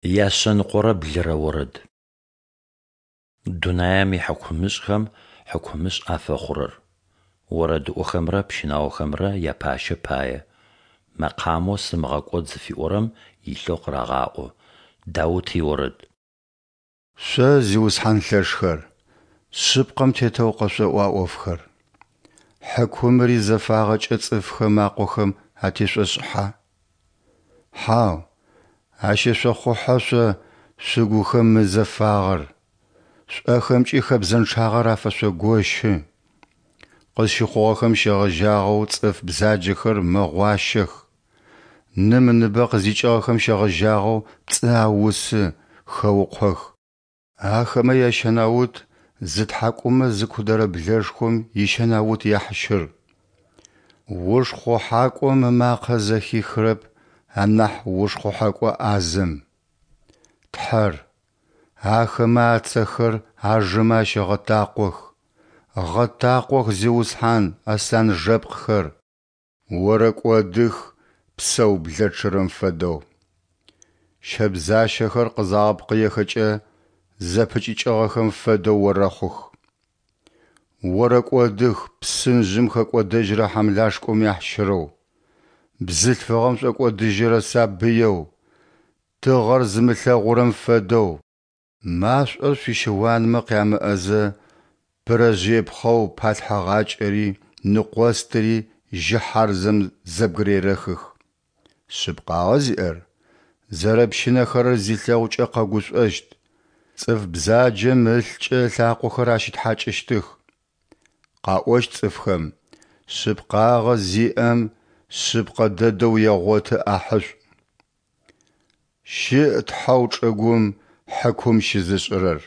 Яшъэныкъорэ блырэ орэд. Дунаем ихьыкумышӏхэм хьыкумышӏ афэхъурэр. Орэдыӏохэмрэ пщынаохэмрэ япащэ пае. Мэкъамэу «Сымыгъэкӏод» зыфиӏорэм илъэу къырагъаӏо. Даут иорэд. Шъо, зиусхьан лъэшхэр, шъыпкъэм тетэу къэшъоӏуа ӏофхэр? Хьыкумыри зэфагъэкӏэ цӏыфхэм акъохэм атешъошӏыхьа? Хьау, ащешъохъухьэ шъо шъугухэм мызэфагъэр, шъуӏэхэмкӏи хэбзэнчъагъэр афэшъогощы. Къызщыхъугъэхэм щегъэжьагъэу цӏыф бзаджэхэр мэгъуащэх, ным ыныбэ къызикӏыгъэхэм щегъэжьагъэу пцӏы аусы, хэукъох. Ахэмэ ящэнаут зытхьакӏумэ зыкудэрэ блэшхом ищэнаут яхьщыр. Ушхъухьакӏом ымакъэ зэхихырэп анахь ушхъухьэкӏо ӏазэм. Тхьэр, ахэмэ ацэхэр ажэмэ ащэгъэтакъох, гъэтакъох, Зиусхьан, аслъан жэпкъхэр! Орэкӏодых псэу блэчъырэм фэдэу. Щэбзащэхэр къызагъэпкъыехэкӏэ, зэпыкӏыкӏыгъэхэм фэдэу орэхъух. Орэкӏодых псынжъым хэкӏодэжьырэ хьамлашкӏом яхьщырэу, бзылъфыгъэм шӏокӏодыжьырэ сабыеу, тыгъэр зымылъэгъурэм фэдэу. Машӏор шъуищыуанмэ къямыӏэзэ, пырэжъые пхъэу палъхьэгъакӏэри ныкъостыри жьы хьарзэм зэбгырерэхых. Шъыпкъагъэ зиӏэр, зэрэпщынэхэрэр зилъэгъукӏэ къэгушӏощт, цӏыф бзаджэм ылъкӏэ ылъакъохэр ащ ытхьакӏыщтых. Къаӏощт цӏыфхэм, шъыпкъагъэ зиӏэм шъыпкъэ дэдэу егъоты ӏахьышӏу. Щыӏ Тхьэу чӏыгум хьыкум щызышӏырэр.